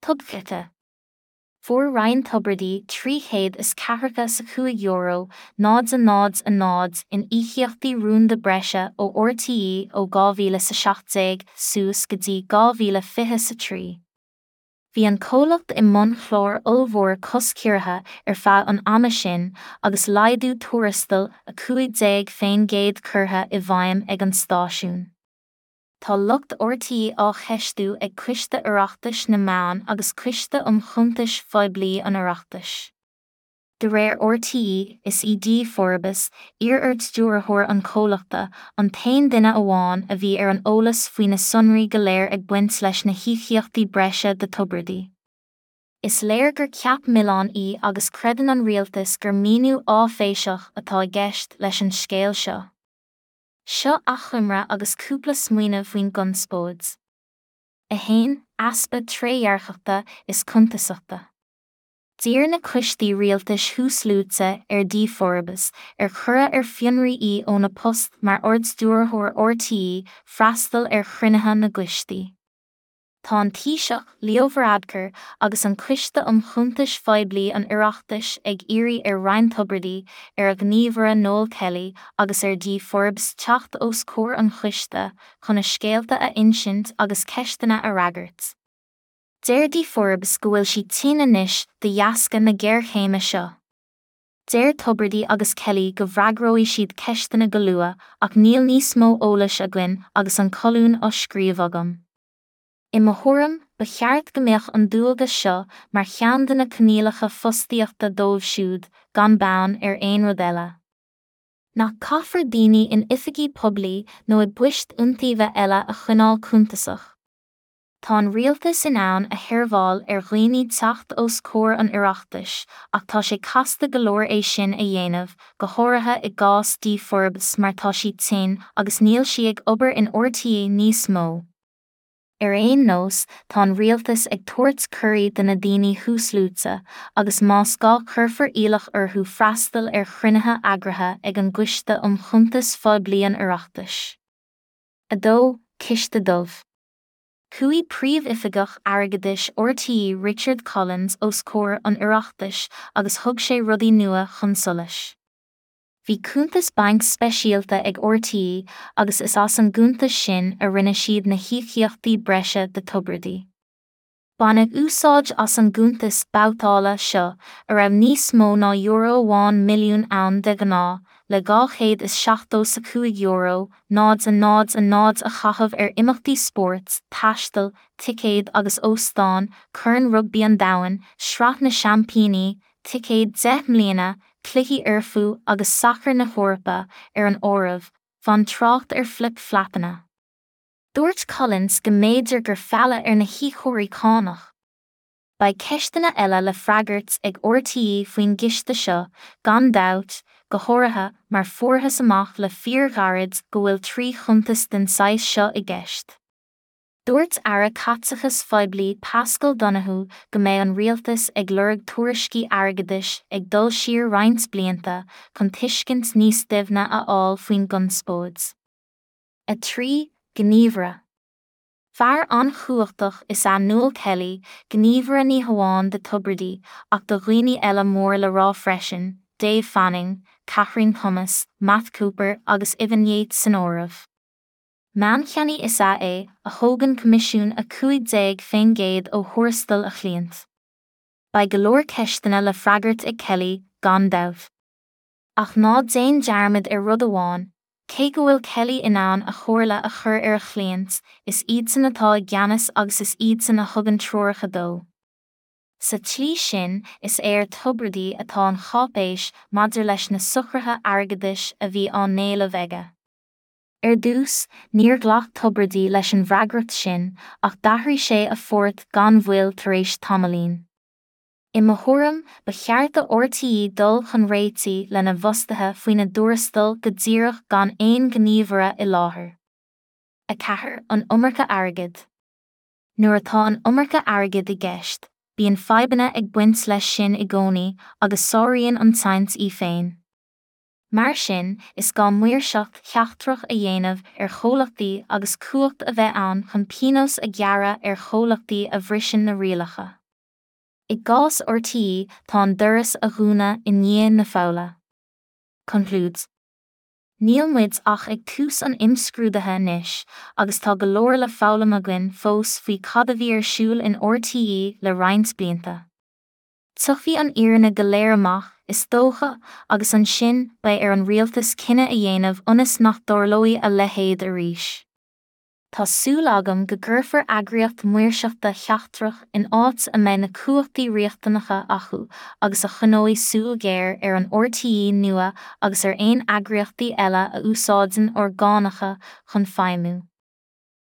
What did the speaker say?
Tubaiste. Fuair Ryan Tubridy €345 0 0 0 in íocaíochtaí rúnda breise ó RTÉ ó 2017 suas go dtí 2023. Bhí an comhlacht i mbun chlár ollmhór costchiorraithe ar feadh an ama sin agus laghdú tuarastail 15% curtha i bhfeidhm ag an stáisiún. Tá lucht RTÉ á cheistiú ag Coiste Oireachtais na Meán agus Coiste um Chuntais Phoiblí an Oireachtais. De réir RTÉ, is í Dee Forbes, iar-ardstiúrthóir an chomhlachta, an t-aon duine amháin a bhí ar an eolas faoi na sonraí go léir ag baint leis na híocaíochtaí breise do Tubridy. Is léir gur ceap milleáin í agus creideann an rialtas gur míniú áiféiseach atá i gceist leis an scéal seo. Seo achoimre agus cúpla smaoineamh faoin gconspóid. 1, Easpa trédhearcachta is cuntasachta. D'iarr na coistí rialtais thuasluaite ar Dee Forbes, ar cuireadh ar fionraí í óna post mar Ardstiúrthóir RTÉ, freastal ar chruinnithe na gcoistí. Tá an Taoiseach, Leo Varadkar, agus an Coiste um Chuntais Phoiblí an Oireachtais ag iarraidh ar Ryan Tubridy, ar a ghníomhaire Noel Kelly agus ar Dee Forbes teacht os comhair an choiste chun a scéalta a insint agus ceisteanna a fhreagairt. Deir Dee Forbes go bhfuil sí tinn anois de dheasca na géarchéime seo. Deir Tubridy agus Kelly go bhfreagróidh siad ceisteanna go luath ach níl níos mó eolais againn agus an colún á scríobh agam. I mo thuairim, ba cheart go mbeadh an dualgas seo mar cheann de na coinníollacha fostaíochta dóibh siúd, gan beann ar aon rud eile. Nach caithfear daoine in oifigí poiblí nó i bpoist iontaoibhe eile a choinneáil cuntasach? Tá an rialtas in ann a sheirbheáil ar dhaoine teacht os comhair an Oireachtais ach tá sé casta go leor é sin a dhéanamh, go háirithe i gcás Dee Forbes mar tá sí tinn agus níl sí ag obair in RTÉ níos mó. Ar aon nós, tá an rialtas ag tabhairt cuirí do na daoine thuasluaite, agus más gá cuirfear iallach orthu freastal ar chruinnithe eagraithe ag an gCoiste um Chuntais Phoiblí an Oireachtais. 2, Ciste Dubh. Chuaigh Príomhoifigeach Airgeadais RTÉ Richard Collins os comhair an Oireachtais agus thug sé rudaí nua chun solais. Bhí cuntas bainc speisialta ag RTÉ agus is as an gcuntas sin a rinne siad na híocaíochtaí breise do Tubridy. Baineadh úsáid as an gcuntas babhtála seo, a raibh níos mó ná €1 milliún ann de ghnáth, le €275, 0 0 0 a chaitheamh ar imeachtaí spóirt, taisteal, ticéid agus óstáin, Corn Rugbaí an Domhain, Sraith na Seaimpíní, ticéid 10 mbliana, cluichí Fhoirfe agus sacair na hEorpa ar an áireamh, gan trácht ar flip flapanna. Dúirt Collins go mb'fhéidir gur fealladh ar na híocóirí cánach. Beidh ceisteanna eile le freagairt ag RTÉ faoin gciste seo, gan dabht, go háirithe mar fuarthas amach le fíorghairid go bhfuil 3 chuntas den saghas seo i gceist. Dúirt Aire Caiteachais Phoiblí Paschal Donohoe go mbeidh an rialtas ag lorg tuairiscí airgeadais ag dul siar roinnt blianta chun tuiscint níos doimhne a fháil faoin gconspóid. 3, Gníomhaire. Fear an-chumhachtach is ea Noel Kelly, gníomhaire ní hamháin do Tubridy ach do dhaoine eile mór le rá freisin, Dave Fanning, Kathryn Thomas, Matt Cooper agus Ivan Yates san áireamh. Meáncheannaí is ea é, a thógann coimisiún 15% ó thuarastal a chliant. Beidh go leor ceisteanna le freagairt ag Kelly, gan dabht. Ach ná déan dearmad ar rud amháin, cé go bhfuil Kelly in ann a chomhairle a chur ar a chliaint, is iadsan atá i gceannas agus is iadsan a thugann treoracha dó. Sa tslí sin, is é ar Tubridy atá an cháipéis maidir leis na socruithe airgeadais a bhí á n-éileamh aige. Ar dtús, níor ghlac Tubridy leis an bhfreagracht sin, ach d'athraigh sé a phort gan mhoill tar éis tamaillín. I mo thuairim, ba cheart do RTÉ dul chun réitigh lena bhfostaithe faoina dtuarastail go díreach gan aon ghníomhaire i láthair. 4, An iomarca airgid. Nuair atá an iomarca airgid i gceist, bíonn fadhbanna ag baint leis sin i gcónaí agus sáraíonn an tsaint í féin. Mar sin, is gá maoirseacht sheachtrach a dhéanamh ar chomhlachtaí agus cumhacht a bheith ann chun pionós a ghearradh ar chomhlachtaí a bhriseann na rialacha. I gcás RTÉ, tá an doras a dhúnadh i ndiaidh na foghla. Concludes. Níl muid ach ag tús an imscrúdaithe anois, agus tá go leor le foghlaim againn fós faoi cad a bhí ar siúl in RTÉ le roinnt blianta. Tiocfaidh an fhírinne go léir amach, is dócha, agus ansin beidh ar an rialtas cinneadh a dhéanamh ionas nach dtarlóidh a leithéid arís. Tá súil agam go gcuirfear eagraíocht maoirseachta sheachtrach in áit a mbeidh na cumhachtaí riachtanacha acu agus a choinneoidh súil ghéar ar an RTÉ nua agus ar aon eagraíochtaí eile a úsáideann ár gcánacha chun feidhmiú.